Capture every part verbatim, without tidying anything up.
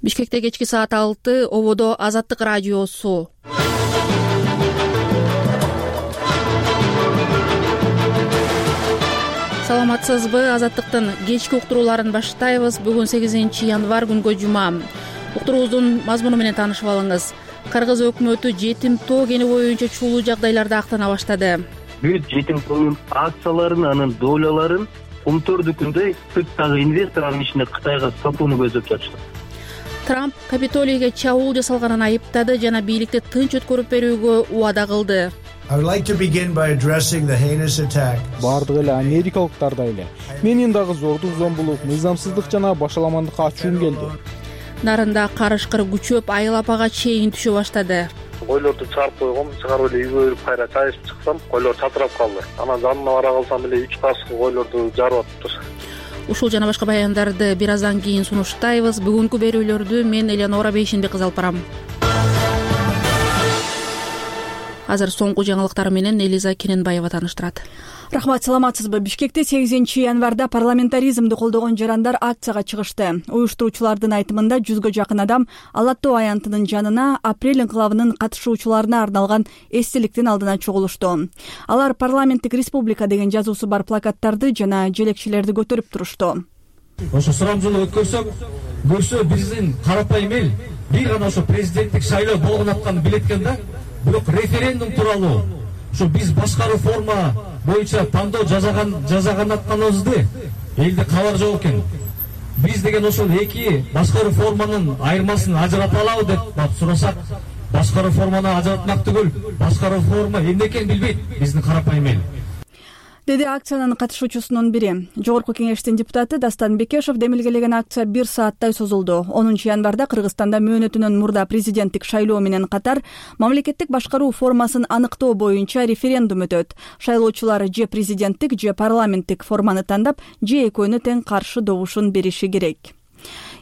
Бишкекте кечки саат алты, ободо Азаттык радиосу. Саламатсызбы? Азаттыктын кечки уктурууларын баштайбыз. Бүгүн сегизинчи январь күнгө жума. Уктуруубуздун мазмуну менен таанышып алыңыз. Кыргыз өкмөтү жетим тоо кени боюнча чуулуу жагдайларды актана баштады. Бүт жетим тоонун акцияларын, анын доляларын Кумтөрдүкүндөй сырттагы инвестор анын ичинде Кытайга сатууну көздөп жатышты. Трамп Капитолийге чабуул жасалганын айыптады жана бийликти тынч өткөрүп берүүгө убада кылды. Бардык эле америкалыктардай эле менин дагы зордук, зомбулук, мыйзамсыздык жана башаламандыкка ачуум келди. Нарында карышкыр күчөп, айыл апага чейин түшө баштады. Койлорду чыгарып койгом, чыгарып эле үйгө кирип кайра чай ичип чыксам, койлор чатырап калды. Анан жанына бара калсам эле үч кашык койлорду жарып атыптыр. Ушул жана башка баяндарды бир аздан кийин сунуштайбыз. Бүгүнкү берүүлөрдү мен Элеонора Бейшенбек алып барам. Азыр соңку жаңылыктар менен Элиза Кененбаева тааныштырат. Рахмат, саламатсызбы? Бишкекте сегизинчи январда парламентаризмди колдогон жарандар акцияга чыгышты. Уюштуруучулардын айтымында жүзгө жакын адам Ала Тоо аянтынын жанына апрель инкылабынын катышуучуларына арналган эстеликтин алдына чогулушту. Алар парламенттик республика деген жазуусу бар плакаттарды жана желекчелерди көтөрүп турушту. Ошо сурамжылык өткөрсөк, көрсө биздин карапайым эл бир гана ошо президенттик шайлоо болгон атканын билет экен да. Бирок референдум тууралуу ушу биз башка реформа боюнча тандоо жасаган жасаган атканыбызды элде кабар жок экен. Биз деген ошол эки башка реформанын айырмасын ажырата алабы деп сурасак, башка реформаны ажыратмак түгүл, башка реформа эмне экенин билбейт биздин карапайым эл. Деди акциянын катышуучусунун бири. Жогорку кеңештин депутаты Дастан Бекешев демилгелеген акция бир сааттай созулду. онунчу январда Кыргызстанда мөөнөтүнөн мурда президенттик шайлоо менен катар мамлекеттик башкаруу формасын аныктоо боюнча референдум өтөт. Шайлоочулар же президенттик, же парламенттик форманы тандап, же экөөнү тең каршы добушун бериши керек.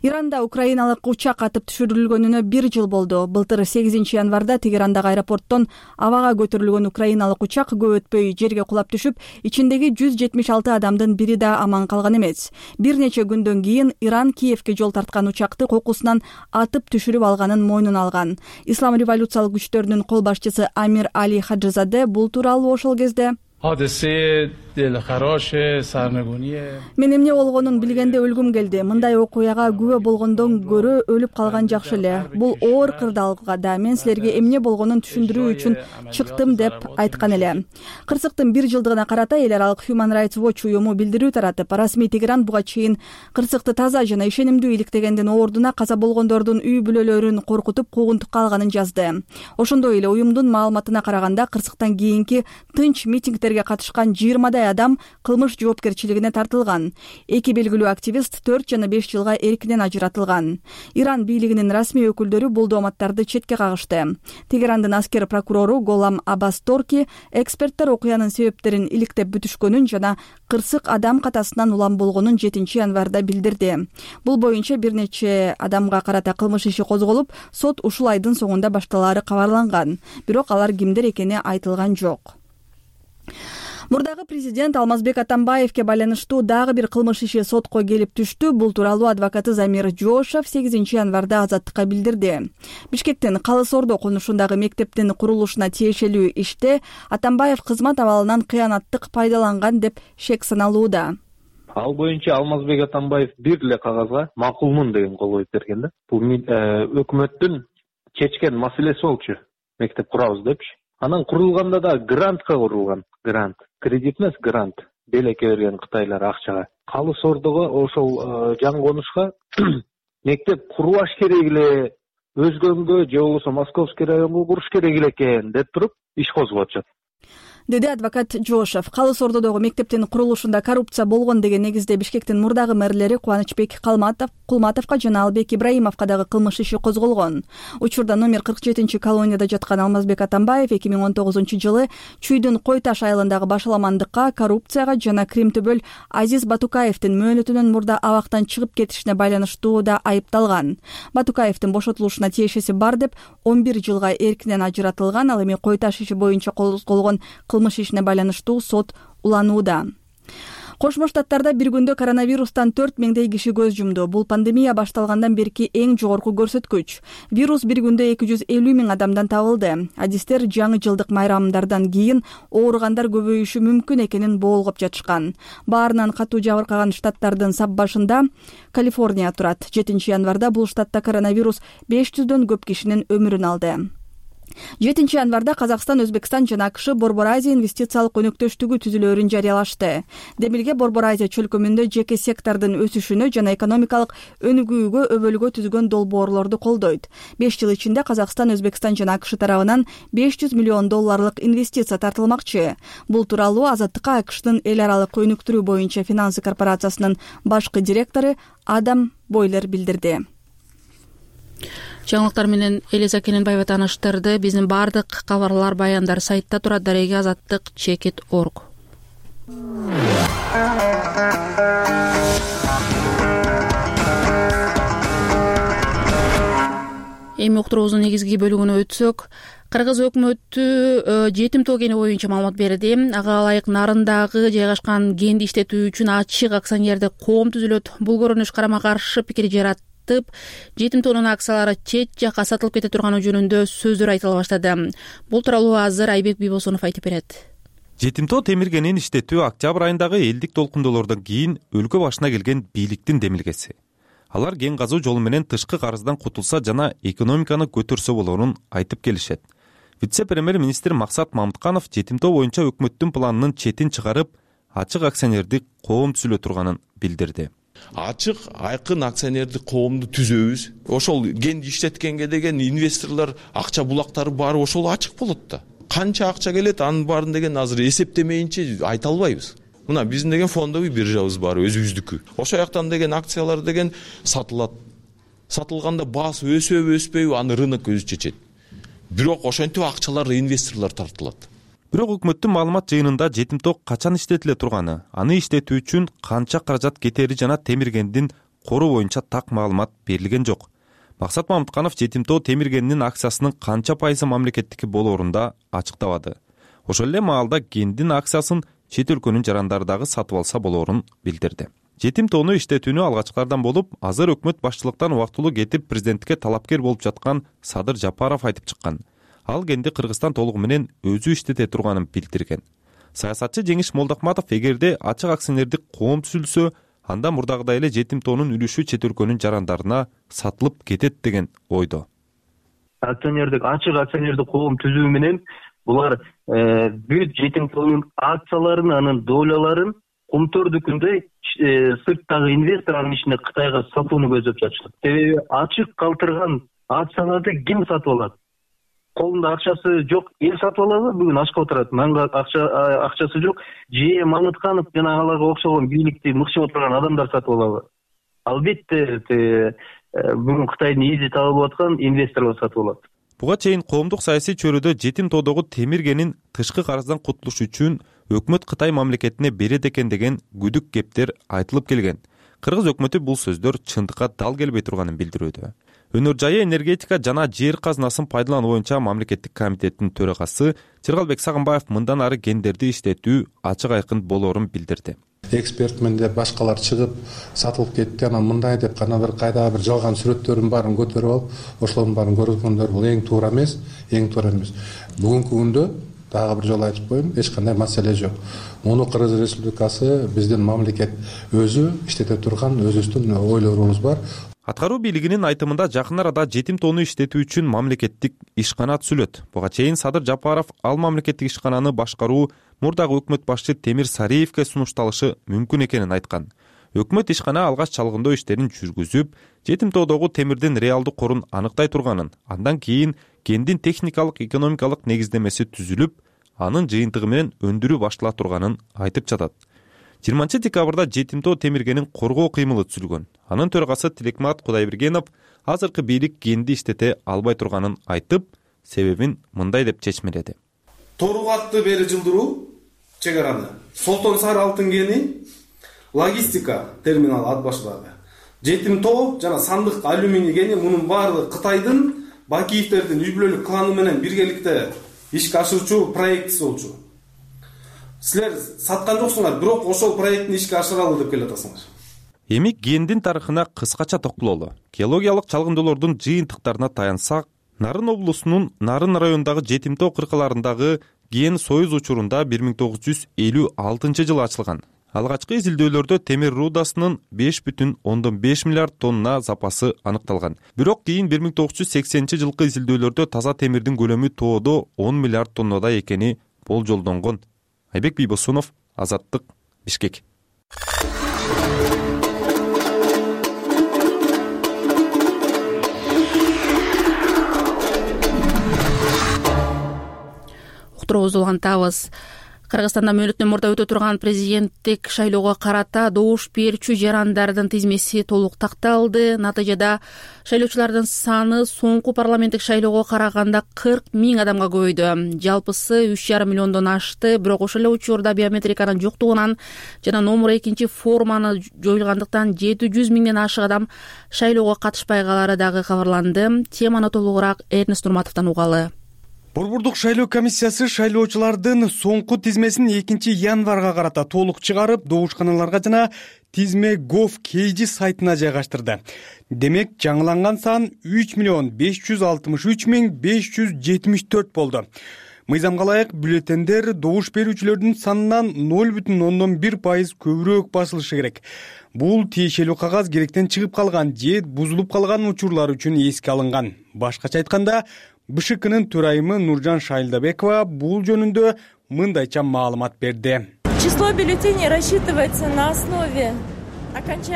Иранда украиналык учак атып түшүрүлгөнүнө бир жыл болду. Былтыр сегизинчи январда Тегерандагы аэропорттон абага көтөрүлгөн украиналык учак көп өтпөй жерге кулап түшүп, ичиндеги жүз жетимиш алты адамдын бири да аман калган эмес. Бир нече күндөн кийин Иран Киевке жол тарткан учакты кокусунан атып түшүрүп алганын мойнуна алган. Ислам революциялык күчтөрүнүн кол башчысы Амир Али Хаджизаде бул тууралуу ошол кезде мен эмне болгонун билгенде өлгүм келди. Мындай окуяга күбө болгондон көрө өлүп калган жакшы эле. Бул оор кырдаалга да мен силерге эмне болгонун түшүндүрүү үчүн чыктым деп айткан эле. Кырсыктын бир жылдыгына карата эл аралык Human Rights Watch уюму билдирүү таратып, расмий Тегеран буга чейин кырсыкты таза жана ишенимдүү иликтегендин ордуна каза болгондордун үй бүлөлөрүн коркутуп куугунтукка алганын жазды. Ошондой эле уюмдун маалыматына караганда кырсыктан кийинки тынч митингдерге катышкан жыйырмадай адам кылмыш жоопкерчилигине тартылган. Эки белгилүү активист төрт жана беш жылга эркинен ажыратылган. Иран бийлигинин расмий өкүлдөрү бул дооматтарды четке кагышты. Тегерандын аскер прокурору Голам Аббас Торки эксперттер окуянын себептерин иликтеп бүтүшкөнүн жана кырсык адам катасынан улам болгонун жетинчи январда билдирди. Бул боюнча бир нече адамга карата кылмыш иши козголуп, сот ушул айдын соңунда башталаары кабарланган. Бирок алар кимдер экени айтылган жок. Мурдагы президент Алмазбек Атамбаевке байланыштуу дагы бир кылмыш иши сотко келип түштү. Бул тууралуу адвокаты Замир Жошев сегизинчи январда Азаттыкка билдирди. Бишкектин Калыс Ордо конушундагы мектептин курулушуна тиешелүү иште Атамбаев кызмат абалынан кыянаттык пайдаланган деп шек саналууда. Ал боюнча Алмазбек Атамбаев бир эле кагазга макулмун деген кол коюп берген да. Бул өкмөттүн чечкен маселеси болчу. Мектеп курабыз депчи. Анан курулганда да грантка курулган. Грант. Кредит эмес, грант. Белекке берген кытайлар акчага. Калыс Ордого ошол жаңы конушка мектеп курбаш керек эле, өзгөнгө же болбосо Московский районго куруш керек эле экен деп туруп иш козгоп атышат. Деди адвокат Жошев. Калыс Ордодогу мектептин курулушунда коррупция болгон деген негизде Бишкектин мурдагы мэрлери Кубанычбек Калматов, Кулматовго жана Албек Ибраимовго дагы кылмыш иши козголгон. Учурда номер кырк жетинчи колонияда жаткан Алмазбек Атамбаев эки миң он тогузунчу жылы Чүйдүн Кой Таш айылындагы башаламандыкка, коррупцияга жана Кримтөбөл Азиз Батукаевдин мөөнөтүнөн мурда абактан чыгып кетишине байланыштуу да айыпталган. Батукаевдин бошотулушуна тиешеси бар деп он бир жылга эркинен ажыратылган. Ал эми Кой Таш иши боюнча козголгон кылмыш ишине байланыштуу сот уланууда. Кошмо Штаттарда бир күндө коронавирустан төрт миңдей киши көз жумду. Бул пандемия башталгандан берки эң жогорку көрсөткүч. Вирус бир күндө эки жүз элүү миң адамдан табылды. Адистер жаңы жылдык майрамдардан кийин ооругандар көбөйүшү мүмкүн экенин боолгоп жатышкан. Баарынан катуу жабыркаган штаттардын сап башында Калифорния турат. жетинчи январда бул штатта коронавирус беш жүздөн көп кишинин өмүрүн алды. жетинчи январда Казакстан, Өзбекстан жана АКШ Борбор Азия инвестициялык өнөктөштүгү түзүлөөрүн жарыялашты. Демилге Борбор Азия чөлкөмүндө жеке сектордун өсүшүнө жана экономикалык өнүгүүгө өбөлгө түзгөн долбоорлорду колдойт. беш жыл ичинде Казакстан, Өзбекстан жана АКШ тарабынан беш жүз миллион долларлык инвестиция тартылмакчы. Бул тууралуу Азаттыкка АКШтын эл аралык өнүктүрүү боюнча финансы корпорациясынын башкы директору Адам Бойлер билдирди. Жаңылыктар менен Элиза Кененбаева тааныштырды. Биздин бардык кабарлар, баяндар сайтта турат. Дареги азаттык чекит точка орг. Эми уктуруубуздун негизги бөлүгүнө өтсөк, Кыргыз өкмөтү жетим тоо кени боюнча маалымат берди. Ага ылайык Нарындагы жайгашкан кенди иштетүү үчүн ачык акционердик коом түзүлөт. Бул көрүнүш карама каршы пикир жаратты. Жетим тоонун акциялары чет жакка сатылып кете турганы жөнүндө сөздөр айтыла баштады. Бул тууралуу азыр Айбек Бибосунов айтып берет. Жетим тоо темир кенин иштетүү октябрь айындагы элдик толкундоолордон кийин өлкө башына келген бийликтин демилгеси. Алар кен казуу жолу менен тышкы карыздан кутулса жана экономиканы көтөрсө болоорун айтып келишет. Вице-премьер-министр Максат Мамытканов жетим тоо боюнча өкмөттүн планынын четин чыгарып, ачык акционердик коом түзүлө турганын билдирди. Ачык, айкын акционердик коомду түзөбүз. Ошол кенди иштеткенге деген инвесторлор акча булактары баары ошол ачык болот да. Канча акча келет, анын баарын деген азыр эсептемейинче айта албайбыз. Мына биздин деген фондовый биржабыз бар, өзүбүздүкү. Ошол жактан деген акциялар деген сатылат. Сатылганда баасы өсөбү, өспөйбү, аны рынок өзү чечет. Бирок ошентип акчалар инвесторлор тартылат. Бирок өкмөттүн маалымат жыйынында жетим тоо качан иштетиле турганы, аны иштетүү үчүн канча каражат кетери жана темир кендин кору боюнча так маалымат берилген жок. Максат Мамытканов жетим тоо темир кенинин акциясынын канча пайызы мамлекеттики болоорун да ачыктабады. Ошол эле маалда кендин акциясын чет өлкөнүн жарандары дагы сатып алса болоорун билдирди. Жетим тоону иштетүүнү алгачкылардан болуп, азыр өкмөт башчылыктан убактылуу кетип президенттикке талапкер болуп жаткан Садыр Жапаров айтып чыккан. Ал кенди Кыргызстан толугу менен өзү иштете турганын билдирген. Саясатчы Жеңиш Молдокматов эгерде ачык акционердик коом түзүлсө, анда мурдагыдай эле жетим тоонун үлүшү чет өлкөнүн жарандарына сатылып кетет деген ойдо. Акционердик ачык акционердик коом түзүү менен булар бүт жетим тоонун акцияларын, анын доляларын кумтөрдүкүндөй сырттагы инвесторлордун ичинде Кытайга сатууну көздөп жатышат. Себеби ачык калтырган акцияларды ким сатып алат? Колунда акчасы жок эл сатып алабы? Бүгүн ашка отурат. Манга акча акчасы жок. Же Мамытканов жана аларга окшогон бийликти мыкшып отурган адамдар сатып алабы? Албетте бүгүн Кытайдын изи табылып аткан инвесторлор сатып алат. Буга чейин коомдук саясий чөйрөдө жетим тоодогу темир кенин тышкы карыздан кутулуш үчүн өкмөт Кытай мамлекетине берет экен деген күдүк кептер айтылып келген. Кыргыз өкмөтү бул сөздөр чындыкка дал келбей турганын билдирүүдө. Өнөр жайы энергетика жана жер казынасын пайдалануу боюнча мамлекеттик комитеттин төрагасы Жыргалбек Сагынбаев мындан ары кендерди иштетүү ачык айкын болоорун билдирди. Экспертмен деп башкалар чыгып сатылып кетти, анан мындай деп кана бир кайдагы бир жалган сүрөттөрдүн баарын көтөрүп алып, ошолордун баарын көргөндөр бул эң туура эмес, эң туура эмес. Бүгүнкү күндө дагы бир жолу айтып коеюн, эч кандай маселе жок. Муну Кыргыз Республикасы, биздин мамлекет өзү иштете турган өзүбүздүн ойлорубуз бар. Аткаруу бийлигинин айтымында жакын арада жетим тоону иштетүү үчүн мамлекеттик ишкана түзүлөт. Буга чейин Садыр Жапаров ал мамлекеттик ишкананы башкаруу мурдагы өкмөт башчы Темир Сариевке сунушталышы мүмкүн экенин айткан. Өкмөт ишкана алгач чалгындоо иштерин жүргүзүп, жетим тоодогу темирдин реалдуу корун аныктай турганын, андан кийин кендин техникалык экономикалык негиздемеси түзүлүп, анын жыйынтыгы менен өндүрүү баштала турганын айтып жатат. жыйырманчы декабрда жетим тоо темир кенин коргоо кыймылы түзүлгөн. Анын төрагасы Тилекмат Кудайбергенов азыркы бийлик кенди иштете албай турганын айтып, себебин мындай деп чечмеледи. Торгатты бери жылдыруу чегараны. Солтон Сары алтын кени логистика терминалы ат башталды. Жетим тоо жана сандык алюминий кени мунун баардыгы Кытайдын Бакиевтердин үй бүлөлүк кланы менен биргеликте ишке ашырчу проектиси болчу. силер саткан жоксуңар, бирок ошол проектти ишке ашыралы деп келатасыңар. Эми гендин тарыхына кыскача токтололу. Геологиялык чалгындоолордун жыйынтыктарына таянсак, Нарын облусунун Нарын районундагы Жетимтоо кыркаларындагы ген союз учурунда бир миң тогуз жүз элүү алтынчы жылы ачылган. Алгачкы изилдөөлөрдө темир рудасынын беш бүтүн ондон беш миллиард тонна запасы аныкталган. Бирок кийин бир миң тогуз жүз сексенинчи жылкы изилдөөлөрдө таза темирдин көлөмү тоодо он миллиард тоннада экени болжолдонгон. Айбек Бийбосунов, Азаттык, Бишкек. Уктуруубузду улантабыз. Кыргызстанда мөөнөтүнөн мурда өтө турган президенттик шайлоого карата добуш берүүчү жарандардын тизмеси толук такталды. Натыйжада шайлоочулардын саны соңку парламенттик шайлоого караганда кырк миң адамга көбөйдү. Жалпысы үч жарым миллиондон ашты. Бирок ошол эле учурда биометриканын жоктугунан жана номер экинчи форманы жоюлгандыктан жети жүз миңден ашык адам шайлоого катышпай калары дагы кабарланды. Теманы толугураак Эрнест Нурматовдон угалы. Борбордук шайлоо комиссиясы шайлоочулардын соңку тизмесин экинчи январга карата толук чыгарып, добушканаларга жана тизме gov kg сайтына жайгаштырды. Демек, жаңыланган сан үч миллион беш жүз алтымыш үч миң беш жүз жетимиш төрт болду. Мыйзамга ылайык бюллетендер добуш берүүчүлөрдүн санынан ноль бүтүн ондон бир пайыз көбүрөөк басылышы керек. Бул тиешелүү кагаз керектен чыгып калган же бузулуп калган учурлар үчүн эске алынган. Башкача айтканда, бэ шэ кынын төрайымы Нуржан Шайлдабекова бул жөнүндө мындайча маалымат берди. Число бюллетеней рассчитывается на основе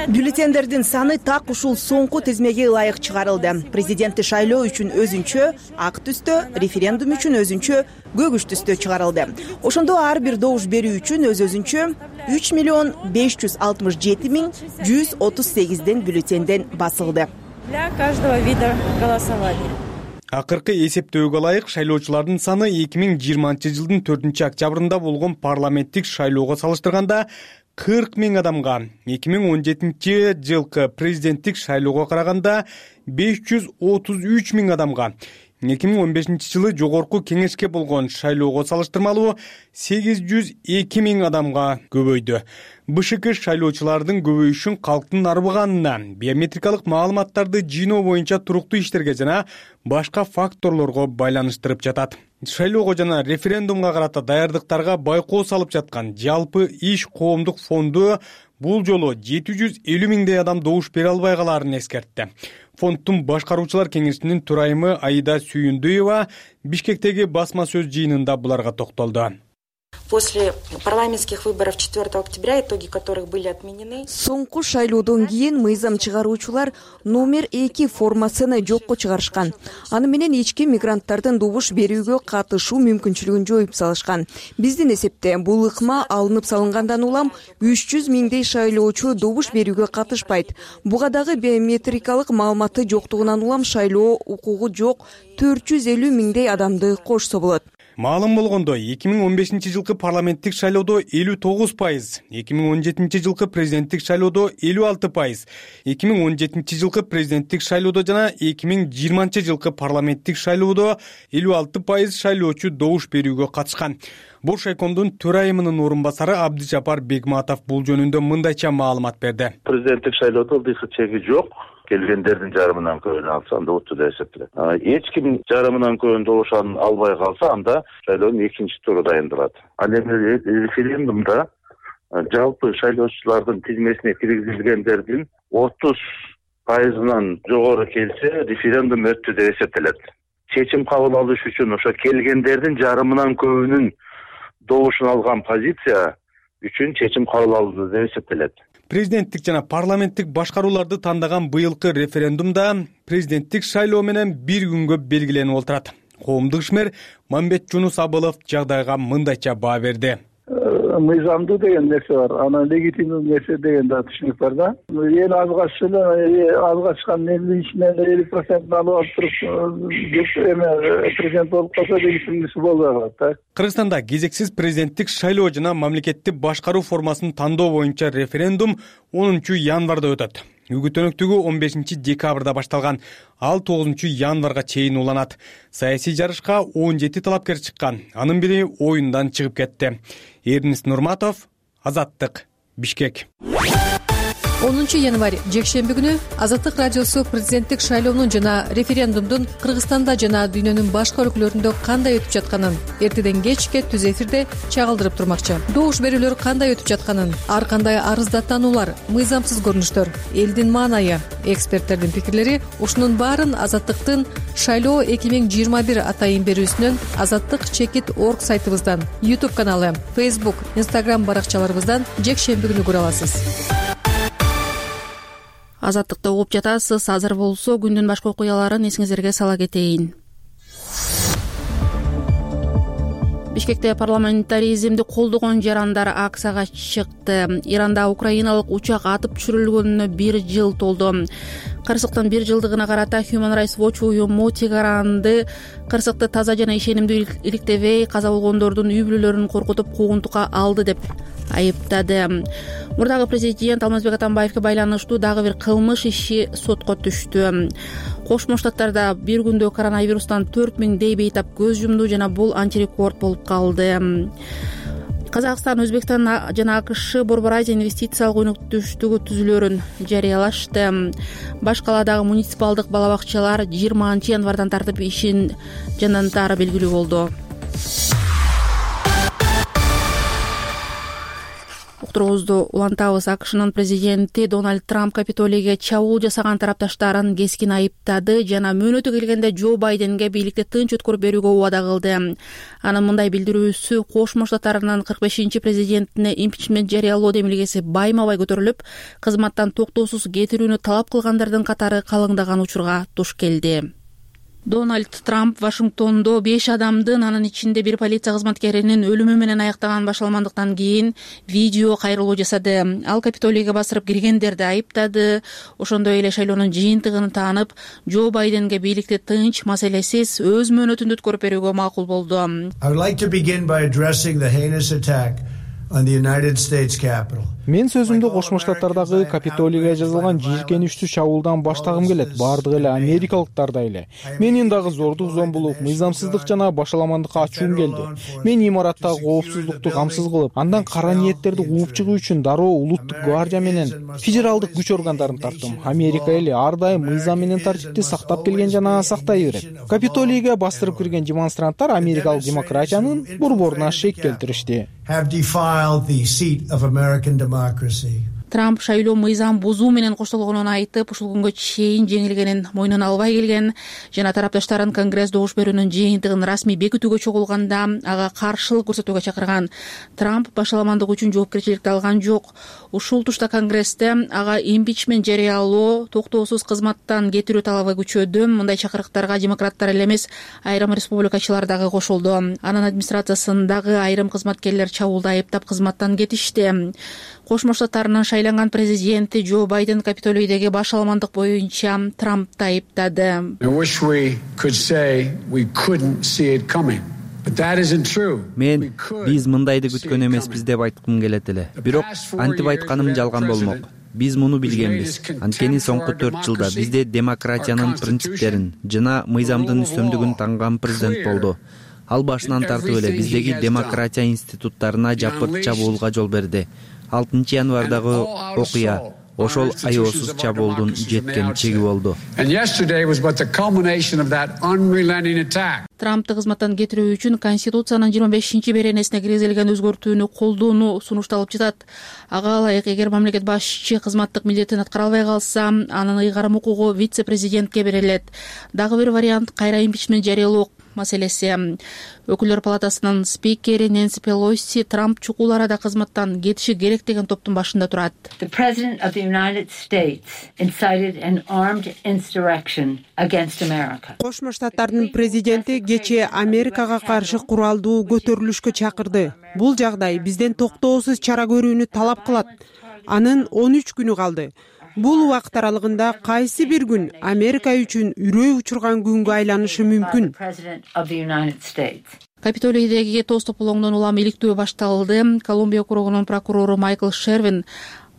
бюллетендердин саны так ушул соңку тизмеге ылайык чыгарылды. Президенттик шайлоо үчүн өзүнчө, ак түстө, референдум үчүн өзүнчө, көгүч түстө чыгарылды. Ошондо ар бир добуш берүү үчүн өз өзүнчө үч миллион беш жүз алтымыш жети миң жүз отуз сегизден бюллетенден басылды. Для каждого вида голосования. Акыркы эсептөөгө ылайык шайлоочулардын саны эки миң жыйырманчы жылдын төртүнчү октябрында болгон парламенттик шайлоого салыштырганда кырк миң адамга, эки миң он жетинчи жылкы президенттик шайлоого караганда беш жүз отуз үч миң адамга, эки миң он бешинчи жылы жогорку кеңешке болгон шайлоого салыштырмалуу сегиз жүз эки миң адамга көбөйдү. бэ шэ ка шайлоочулардын көбөйүшүн калктын арбыганына, биометрикалык маалыматтарды жыйноо боюнча туруктуу иштерге жана башка факторлорго байланыштырып жатат. Шайлоого жана референдумга карата даярдыктарга байкоо салып жаткан жалпы иш коомдук фонду бул жолу жети жүз элүү миңдей адам добуш бере албай калаарын эскертти. Фонддун башкаруучулар кеңешинин төрайымы Аида Сүйүндүева Бишкектеги басма сөз жыйынында буларга токтолду. После парламентских выборов четвёртого октября, итоги которых были отменены. Соңку шайлоодон кийин мыйзам чыгаруучулар номер эки формасыны жокко чыгарышкан. Аны менен ички мигранттардын добуш берүүгө катышуу мүмкүнчүлүгүн жоюп салышкан. Биздин эсепте бул ыкма алынып салынгандан улам үч жүз миңдей шайлоочу добуш берүүгө катышпайт. Буга дагы биометрикалык маалыматы жоктугунан улам шайлоо укугу жок төрт жүз элүү миңдей адамды кошсо болот. Маалым болгондой, эки миң он бешинчи жылкы парламенттик шайлоодо элүү тогуз пайыз, эки миң он жетинчи жылкы президенттик шайлоодо элүү алты пайыз, эки миң он жетинчи жылкы президенттик шайлоодо жана эки миң жыйырманчы жылкы парламенттик шайлоодо элүү алты пайыз шайлоочу добуш берүүгө катышкан. Бош айкомдун төрайымынын орун басары Абдыжапар Бегматов бул жөнүндө мындайча маалымат берди. Президенттик шайлоодо ылдыйкы чеги жок. Келгендердин жарымынан көбүн алса, анда уту да эсептелет. Эч ким жарымынан көбүн добуш албай калса, анда шайлоонун экинчи туру дайындалат. Ал эми референдумда жалпы шайлоочулардын тизмесине киргизилгендердин отуз пайызынан жогору келсе, референдум өттү деп эсептелет. Чечим кабыл алыш үчүн ошо келгендердин жарымынан көбүнүн добушун алган позиция үчүн чечим кабыл алынды деп эсептелет. Президенттик жана парламенттик башкарууларды тандаган быйылкы референдумда президенттик шайлоо менен бир күнгө белгиленип отурат. Коомдук ишмер Мамбет Жунус Абылов жагдайга мындайча баа берди. Мыйзамдуу деген нерсе бар, анан легитимдүү нерсе деген да түшүнүк бар да. Эң азгач эле азгачкан элүү ичинен элүү процентин алып алып туруп эме президент болуп калса легитимдүүсү болбой калат да. Кыргызстанда кезексиз президенттик шайлоо жана мамлекетти башкаруу формасын тандоо боюнча референдум онунчу январда өтөт. үгүт өнөктүгү он бешинчи декабрда башталган, ал тогузунчу январга чейин уланат. Саясий жарышка он жети талапкер чыккан, анын бири оюндан чыгып кетти. Эрнест Нурматов, Азаттык, Бишкек. онунчу январь жекшемби күнү Азаттык радиосу президенттик шайлоонун жана референдумдун Кыргызстанда жана дүйнөнүн башка өлкөлөрүндө кандай өтүп жатканын эртеден кечке түз эфирде чагылдырып турмакчы. Добуш берүүлөр кандай өтүп жатканын, ар кандай арыздатанулар, мыйзамсыз көрүнүштөр, элдин маанайы, эксперттердин пикирлери, ушунун баарын Азаттыктын шайлоо эки миң жыйырма бир атайын берүүсүнөн, Азаттык чекит орг сайтыбыздан, YouTube каналы, Facebook, Instagram баракчаларыбыздан жекшемби күнү көрө аласыз. Азаттыкты угуп жатасыз. Азыр болсо күндүн башка окуяларын эсиңиздерге сала кетейин. Бишкекте парламентаризмди колдогон жарандар акцияга чыкты. Иранда украиналык учак атып түшүрүлгөнүнө бир жыл толду. Кырсыктын бир жылдыгына карата Human Rights Watch уюму Тегеранды кырсыкты таза жана ишенимдүү иликтебей, каза болгондордун үй бүлөлөрүн коркутуп куугунтукка алды деп айыптады. Мурдагы президент Алмазбек Атамбаевге байланыштуу дагы бир кылмыш иши сотко түштү. Кошмо Штаттарда бир күндө коронавирустан төрт миңдей бейтап көз жумду жана бул антирекорд болуп калды. Казакстан, Өзбекстан жана АКШ Борбор Азия инвестициялык өнөктөштүгү түзүлөрүн жарыялашты. Баш каладагы муниципалдык бала бакчалар жыйырманчы январдан тартып ишин жандантары белгилүү болду. Уктуруубузду улантабыз. АКШнын президенти Дональд Трамп Капитолийге чабуул жасаган тарапташтарын кескин айыптады жана мөөнөтү келгенде Джо Байденге бийликти тынч өткөрүп берүүгө убада кылды. Анын мындай билдирүүсү Кошмо Штаттарынын кырк бешинчи президентине импичмент жарыялоо демилгеси байма-бай көтөрүлүп, кызматтан токтоосуз кетирүүнү талап кылгандардын катары калыңдаган учурга туш келди. Дональд Трамп Вашингтондо беш адамдын, анын ичинде бир полиция кызматкеринин өлүмү менен аяктаган башаламандыктан кийин видео кайрылуу жасады. Ал Капитолийге басырып киргендерди айыптады. Ошондой эле шайлоонун жыйынтыгын таанып, Джо Байденге бийликти тынч, маселесиз өз мөөнөтүндө өткөрүп берүүгө макул болду. Мен сөзүмдү Кошмо Штаттардагы Капитолийге жазылган жийиркеничтүү чабуулдан баштагым келет. Бардыгы эле америкалыктардай эле. Менин дагы зордук, зомбулук, мыйзамсыздык жана башаламандыкка ачуум келди. Мен имараттагы коопсуздукту камсыз кылып, андан кара ниеттерди кууп чыгуу үчүн дароо улуттук гвардия менен федералдык күч органдарын тарттым. Америка эли ар дайым мыйзам менен тартипти сактап келген жана сактай берет. Капитолийге бастырып кирген демонстранттар америкалык демократиянын борборуна шек келтиришти. Трамп шайлоо мыйзам бузуу менен коштолгонун айтып, ушул күнгө чейин жеңилгенин мойнуна албай келген жана тарапташтарын Конгресс добуш берүүнүн жыйынтыгын расмий бекитүүгө чогулганда ага каршылык көрсөтүүгө чакырган. Трамп башаламандык үчүн жоопкерчиликти алган жок. Ушул тушта Конгрессте ага импичмент жарыялоо, токтоосуз кызматтан кетирүү талабы күчөдү. Мындай чакырыктарга демократтар эле эмес, айрым республикачылар дагы кошулду. Анын администрациясындагы айрым кызматкерлер чабуулду айыптап кызматтан кетишти. Кошмо Штаттарынын шайланган президенти Джо Байден Капитолийдеги башаламандык боюнча Трампты айыптады. Мен биз мындайды күткөн эмеспиз деп айткым келет эле. Бирок антип айтканым жалган болмок. Биз муну билгенбиз. Анткени соңку төрт жылда бизде демократиянын принциптерин жана мыйзамдын үстөмдүгүн танган президент болду. Ал башынан тартып эле биздеги демократия институттарына жапырт чабуулга жол берди. алтынчы январдагы окуя ошол аеосуз чабуулдун жеткен чеги болду. Трампты кызматтан кетирүү үчүн Конституциянын жыйырма бешинчи беренесине киргизилген өзгөртүүнү колдоону сунушталып жатат. Ага ылайык, эгер мамлекет башчы кызматтык милдетин аткара албай калса, анын ыйгарым укугу вице-президентке берилет. Дагы бир вариант кайра импичмент жарыялоо маселеси. Өкүлдөр палатасынын спикери Нэнси Пелоси Трамп чукул арада кызматтан кетиши керек деген топтун башында турат. Кошмо Штаттардын президенти кечээ Америкага каршы куралдуу көтөрүлүшкө чакырды. Бул жагдай бизден токтоосуз чара көрүүнү талап кылат. Анын он үч күнү калды. Бул убакыт аралыгында кайсы бир күн Америка үчүн үрөй учурган күнгө айланышы мүмкүн. Капитолийдеги тоз тополоңдон улам иликтөө башталды. Колумбия округунун прокурору Майкл Шервин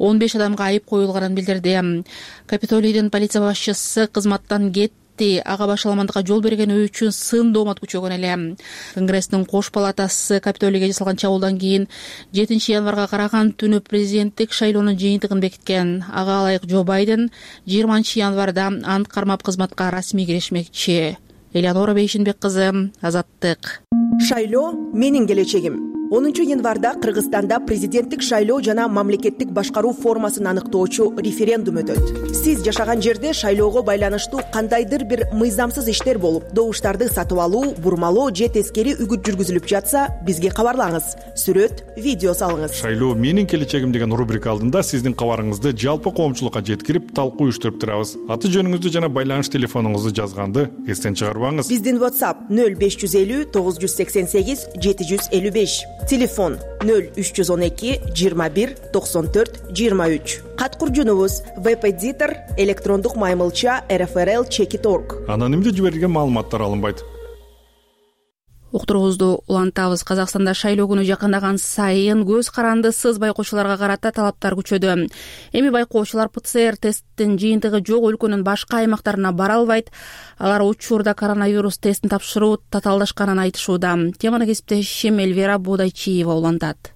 он беш адамга айып коюлганын билдирди. Капитолийдин полиция башчысы кызматтан кетти. Ага башаламандыкка жол бергени үчүн сын доомат күчөгөн эле. Конгресстин кош палатасы Капитолийге жасалган чабуулдан кийин жетинчи январга караган түнү президенттик шайлоонун жыйынтыгын бекиткен. Ага ылайык Джо Байден жыйырманчы январда ант кармап кызматка расмий киришмекчи. Элеонора Бейшинбек кызы, Азаттык. Шайлоо менин келечегим. онунчу январда Кыргызстанда президенттик шайлоо жана мамлекеттик башкаруу формасын аныктоочу референдум өтөт. Сиз жашаган жерде шайлоого байланыштуу кандайдыр бир мыйзамсыз иштер болуп, добуштарды сатып алуу, бурмалоо же тескери үгүт жүргүзүлүп жатса, бизге кабарлаңыз. Сүрөт, видео салыңыз. Шайлоо менин келечегим деген рубрика алдында сиздин кабарыңызды жалпы коомчулукка жеткирип, талкуу уюштуруп турабыз. Аты жөнүңүздү жана байланыш телефонуңузду жазганды эстен чыгарбаңыз. Биздин WhatsApp нөл беш жүз элүү тогуз жүз сексен сегиз жети жүз элүү беш. Телефон нөл үч жүз он эки жыйырма бир токсон төрт жыйырма үч. Кат куржунубуз веб-эдитор электрондук маймылча эр эф эр эл чек точка орг. Анонимдүү жиберилген маалыматтар алынбайт. Уктуруубузду улантабыз. Казакстанда шайлоо күнү жакындаган сайын көз карандысыз байкоочуларга карата талаптар күчөдү. Эми байкоочулар пэ цэ эр тесттин жыйынтыгы жок өлкөнүн башка аймактарына бара албайт. Алар учурда коронавирус тестин тапшыруу татаалдашканын айтышууда. Теманы кесиптешим Эльвира Бодайчиева улантат.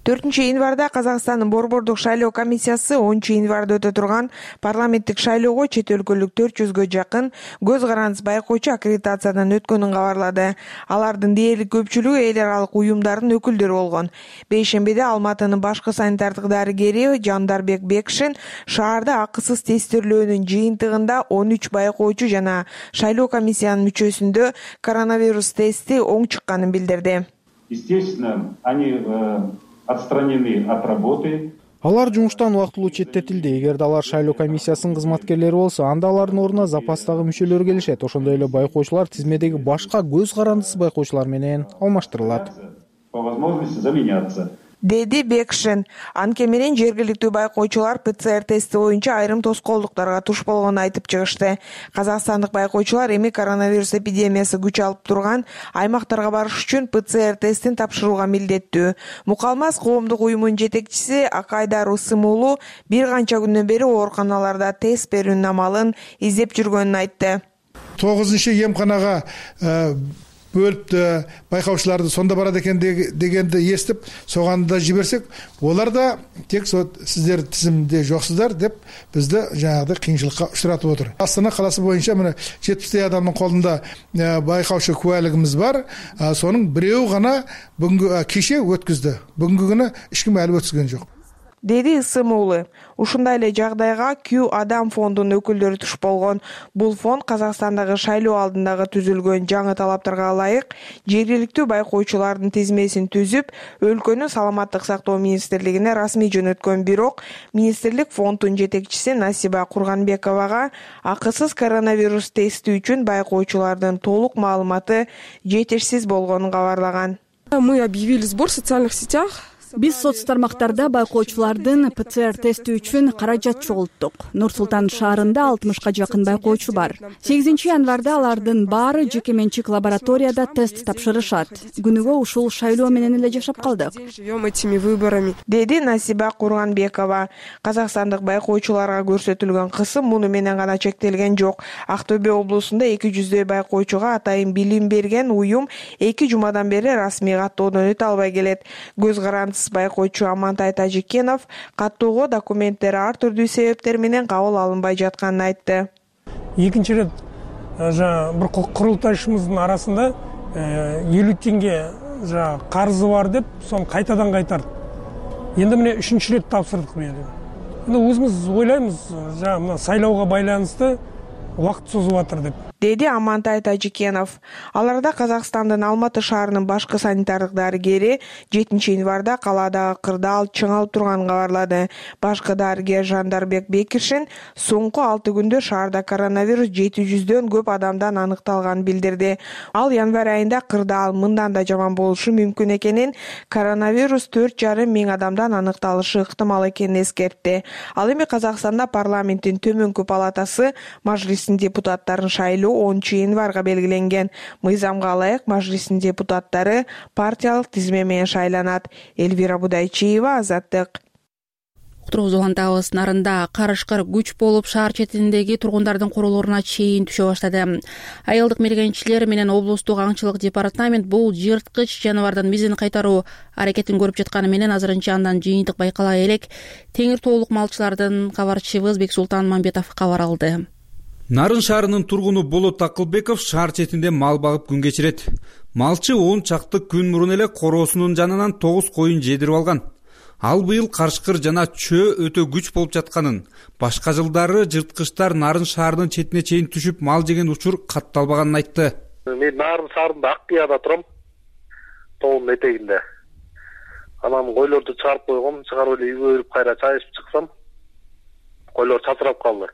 төртүнчү январда Казакстандын Борбордук шайлоо комиссиясы онунчу январда өтө турган парламенттик шайлоого чет өлкөлүк төрт жүзгө жакын көз карандысыз байкоочу аккредитациядан өткөнүн кабарлады. Алардын дээрлик көпчүлүгү эл аралык уюмдардын өкүлдөрү болгон. Бейшембиде Алматынын башкы санитардык дарыгери Жандарбек Бекшин шаарда акысыз тестирлөөнүн жыйынтыгында он үч байкоочу жана шайлоо комиссиянын мүчөсүндө коронавирус тести оң чыкканын билдирди. Естественно, они отстранены от работы. Алар жумуштан убактылуу четтетилди. Эгерде алар шайлоо комиссиясынын кызматкерлери болсо, анда алардын ордуна запастагы мүчөлөр келишет. Ошондой эле байкоочулар тизмедеги башка көз карандысыз байкоочулар менен алмаштырылат. По возможности заменяться. Деди Бекшин. Анткени менен жергиликтүү байкоочулар пэ цэ эр тести боюнча айрым тоскоолдуктарга туш болгонун айтып чыгышты. Казакстандык байкоочулар эми коронавирус эпидемиясы күч алып турган аймактарга барыш үчүн пэ цэ эр тестин тапшырууга милдеттүү. Мукалмаз коомдук уюмунун жетекчиси Акайдар Усым уулу бир канча күндөн бери ооруканаларда тест берүүнүн амалын издеп жүргөнүн айтты. тогузунчу эмканага бөлүп байкаушыларды сонда барат экен дегенди эстип, соганда жиберсек, олар да тек сиздер тизимде жоксуздар деп бизди жанагыдай кыйынчылыкка учуратып отур. Астана каласы боюнча мына жетимиштей адамдын колунда байкаучу кубайлыгыбыз бар. Сонун бирөө гана бүгүнкү кече өткүздү. Бүгүнкү күнү эч ким алып өткүзгөн жок. Деди Ысым уулу. Ушундай эле жагдайга Q Адам фондунун өкүлдөрү туш болгон. Бул фонд Казакстандагы шайлоо алдындагы түзүлгөн жаңы талаптарга ылайык жергиликтүү байкоочулардын тизмесин түзүп, өлкөнүн саламаттык сактоо министрлигине расмий жөнөткөн. Бирок министрлик фонддун жетекчиси Насиба Курганбековага акысыз коронавирус тести үчүн байкоочулардын толук маалыматы жетишсиз болгонун кабарлаган. Мы объявили сбор в социальных сетях. Биз соц тармактарда байкоочулардын пэ цэ эр тести үчүн каражат чогулттук. Нур Султан шаарында алтымышка жакын байкоочу бар. сегизинчи январда алардын баары жеке менчик лабораторияда тест тапшырышат. Күнүгө ушул шайлоо менен эле жашап калдык. Живем этими выборами, деди Насиба Курганбекова. Казакстандык байкоочуларга көрсөтүлгөн кысым муну менен гана чектелген жок. Актөбө облусунда эки жүздөй байкоочуга атайын билим берген уюм эки жумадан бери расмий каттоодон өтө албай келет. Көз карандысыз байкоочу Амантай Тажикенов каттоого документтери ар түрдүү себептер менен кабыл алынбай жатканын айтты. Экинчи ирет бир курултайчыбыздын арасында элүү теңге карызы бар деп, сону кайтадан кайтарды. Энди мына үчүнчү ирет тапшырдык мен. Эми өзүбүз ойлойбуз, мына сайлоого байланыштуу убакыт созуп атыр деп. Деди Амантай Тажикенов. Аларда Казакстандын Алматы шаарынын башкы санитардык дарыгери жетинчи январда калаадагы кырдаал чыңалып турганын кабарлады. Башкы дарыгер Жандарбек Бекшин соңку алты күндө шаарда коронавирус жети жүздөн көп адамдан аныкталганын билдирди. Ал январь айында кырдаал мындан да жаман болушу мүмкүн экенин, коронавирус төрт жарым миң адамдан аныкталышы ыктымал экенин эскертти. Ал эми Казакстанда парламенттин төмөнкү палатасы мажлисинин депутаттарын шайлоо онунчу январга белгиленген. Мыйзамга ылайык мажлистин депутаттары партиялык тизме менен шайланат. Эльвира Будайчиева, Азаттык. уктуруубузду улантабыз. Нарында карышкыр күч болуп шаар четиндеги тургундардын королоруна чейин түшө баштады. Айылдык мергенчилер менен облустук аңчылык департамент бул жырткыч жаныбардын мизин кайтаруу аракетин көрүп жатканы менен азырынча андан жыйынтык байкала элек. Теңир тоолук малчылардан кабарчыбыз Бексултан Мамбетов кабар алды. Нарын шаарынын тургуну Болот Акылбеков шаар четинде мал багып күн кечирет. Малчы он чакты күн мурун эле короосунун жанынан тогуз коюн жедирип алган. Ал быйыл карышкыр жана чөө өтө күч болуп жатканын, башка жылдары жырткычтар Нарын шаарынын четине чейин түшүп мал жеген учур катталбаганын айтты. Мен Нарын шаарында Аккияда турам, тоонун этегинде. Анан койлорду чыгарып койгом, чыгарып эле үйгө өрүп кайра чай ичип чыксам, койлор чачырап калды.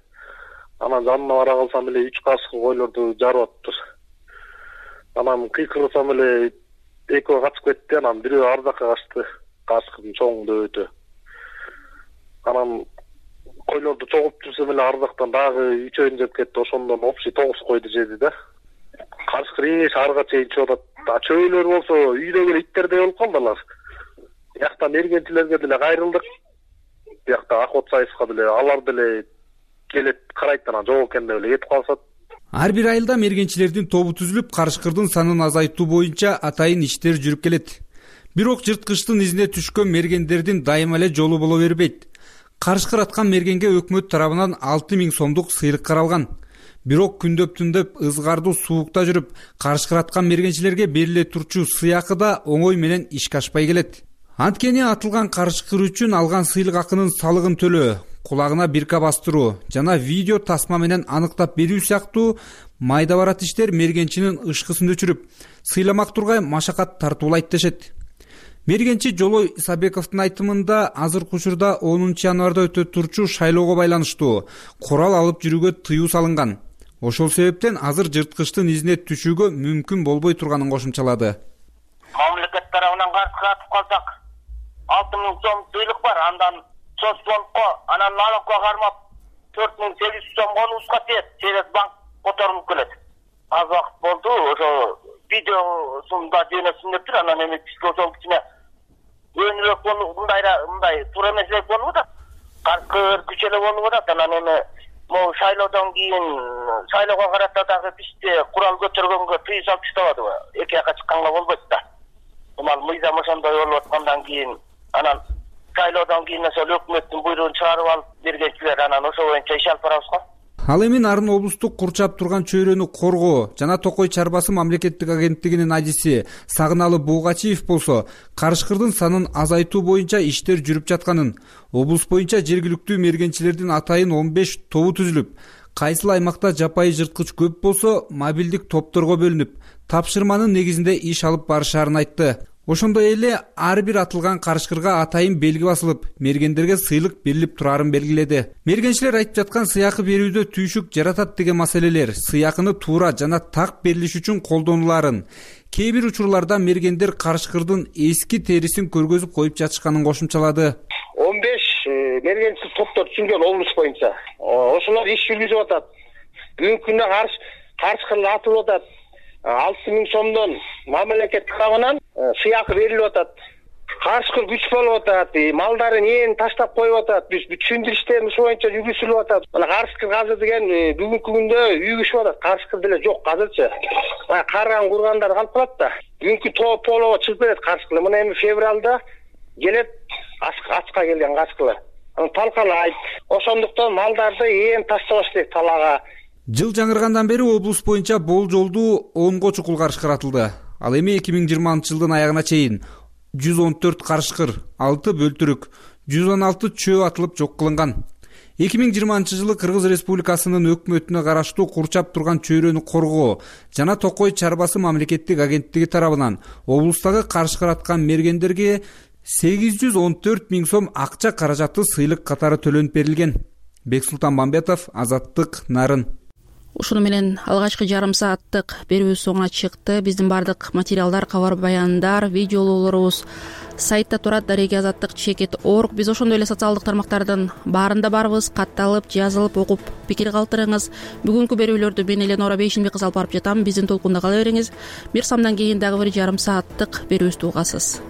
Анан жанына бара калсам эле үч кашык койлорду жарып атыптыр. Анан кыйкырсам эле экөө качып кетти, анан бирөө ар жакка качты, кашыктын чоңунда өтө. Анан койлорду чогулуп жүрсөм эле ар жактан дагы үчөөнү жеп кетти, ошондон общий тогуз койду жеди да. Карышкыр эң шаарга чейин чыгып атат. Чөйлөр болсо үйдөгү иттердей болуп калдылар. Биякта мергенчилерге деле кайрылдык. Биякта Акот Сайыска деле алар деле келет карайт, анан жок экен деп эле кетип калышат. Ар бир айылда мергенчилердин тобу түзүлүп, карышкырдын санын азайтуу боюнча атайын иштер жүрүп келет. Бирок жырткычтын изине түшкөн мергендердин дайыма эле жолу боло бербейт. Карышкыр аткан мергенге өкмөт тарабынан алты миң сомдук сыйлык каралган. Бирок күндөп-түндөп ызгардуу суукта жүрүп, карышкыр аткан мергенчилерге бериле турчу сыйакы да оңой менен ишке ашпай келет. Анткени атылган карышкыр үчүн алган сыйлык акынын салыгын төлөө, кулагына бирка бастыруу жана видео тасма менен аныктап берүү сыяктуу майда барат иштер мергенчинин ышкысын өчүрүп, сыйламак тургай машакат тартуулайт дешет. Мергенчи Жолой Исабековдун айтымында азыркы учурда онунчу январда өтө турчу шайлоого байланыштуу курал алып жүрүүгө тыюу салынган. Ошол себептен азыр жырткычтын изине түшүүгө мүмкүн болбой турганын кошумчалады. Мамлекет тарабынан карышкыр атып калсак, алты миң сом сыйлык бар, андан Соцбанкко, анан налогко кармап төрт миң сегиз жүз сом конубузга тиет, через банк которулуп келет. Аз убакыт болду, ошо видеосун да жөнөтсүн дептир, анан эми бизге ошол кичине өөнүрөөк болуп, мындайра мындай туура эмесирээк болуп атат. Карышкыр күч эле болуп атат, анан эми могу шайлоодон кийин шайлоого карата дагы бизде курал көтөргөнгө тыюу салып таштабадыбы? Эки жака чыкканга болбойт да. Мал мыйзам ошондой болуп аткандан кийин анан шайлоодон кийин ошол өкмөттүн буйругун чыгарып алып бергенчилер анан ошол боюнча иш алып барабыз го. Ал эми Нарын облустук курчап турган чөйрөнү коргоо жана Токой чарбасы мамлекеттик агенттигинин адиси Сагыналы Буугачиев болсо, карышкырдын санын азайтуу боюнча иштер жүрүп жатканын, облус боюнча жергиликтүү мергенчилердин атайын он беш тобу түзүлүп, кайсыл аймакта жапайы жырткыч көп болсо мобилдик топторго бөлүнүп, тапшырманын негизинде иш алып барышаарын айтты. Ошондой эле ар бир атылган карышкырга атайын белги басылып, мергендерге сыйлык берилип турарын белгиледи. Мергенчилер айтып жаткан сыйакы берүүдө түйшүк жаратат деген маселелер сыйакыны туура жана так берилиш үчүн колдонуларын, кээ бир учурларда мергендер карышкырдын эски терисин көргөзүп коюп жатышканын кошумчалады. он беш мергенчил топтор түзүлгөн облус боюнча. Ошолор иш жүргүзүп атат. Бүгүнкү күндө карышкыр атылып атат. алты миң сомдон мамлекет тарабынан сыйакы берилип атат. Карышкыр күч болуп атат, малдарын ээн таштап коюп атат. Биз түшүндүр иштерин ушул боюнча жүргүзүлүп атат. Мына карышкыр азыр деген бүгүнкү күндө үйгүшүп атат. Карышкыр деле жок азырчы. Карган кургандар калып калат да. Бүгүнкү топ полого чыгып берет карышкыр. Мына эми февралда келет ачка келген карышкырлар. Аны талкалайт. Ошондуктан малдарды ээн таштабаш керек талаага. Жыл жаңыргандан бери облус боюнча болжолдуу онго чукул карышкыр атылды. Ал эми эки миң жыйырманчы жылдын аягына чейин жүз он төрт карышкыр, алты бөлтүрүк, жүз он алты чөө атылып жок кылынган. эки миң жыйырманчы жылы Кыргыз Республикасынын өкмөтүнө караштуу курчап турган чөйрөнү коргоо жана Токой чарбасы мамлекеттик агенттиги тарабынан облустагы карышкыр аткан мергендерге сегиз жүз он төрт миң сом акча каражаты сыйлык катары төлөнүп берилген. Бексултан Мамбетов, Азаттык, Нарын. Ушуну менен алгачкы жарым сааттык берүүбүз соңуна чыкты. Биздин бардык материалдар, кабар баяндар, видеолорубуз сайтта турат, дареги азаттык чекит точка орг. Биз ошондой эле социалдык тармактардын баарында барбыз. Катталып, жазылып, окуп, пикир калтырыңыз. Бүгүнкү берүүлөрдү мен Эленора Бейшинбек кызы алып барып жатам. Биздин толкунда кала бериңиз. Мирсамдан кийин дагы бир жарым сааттык берүүбүздү угасыз.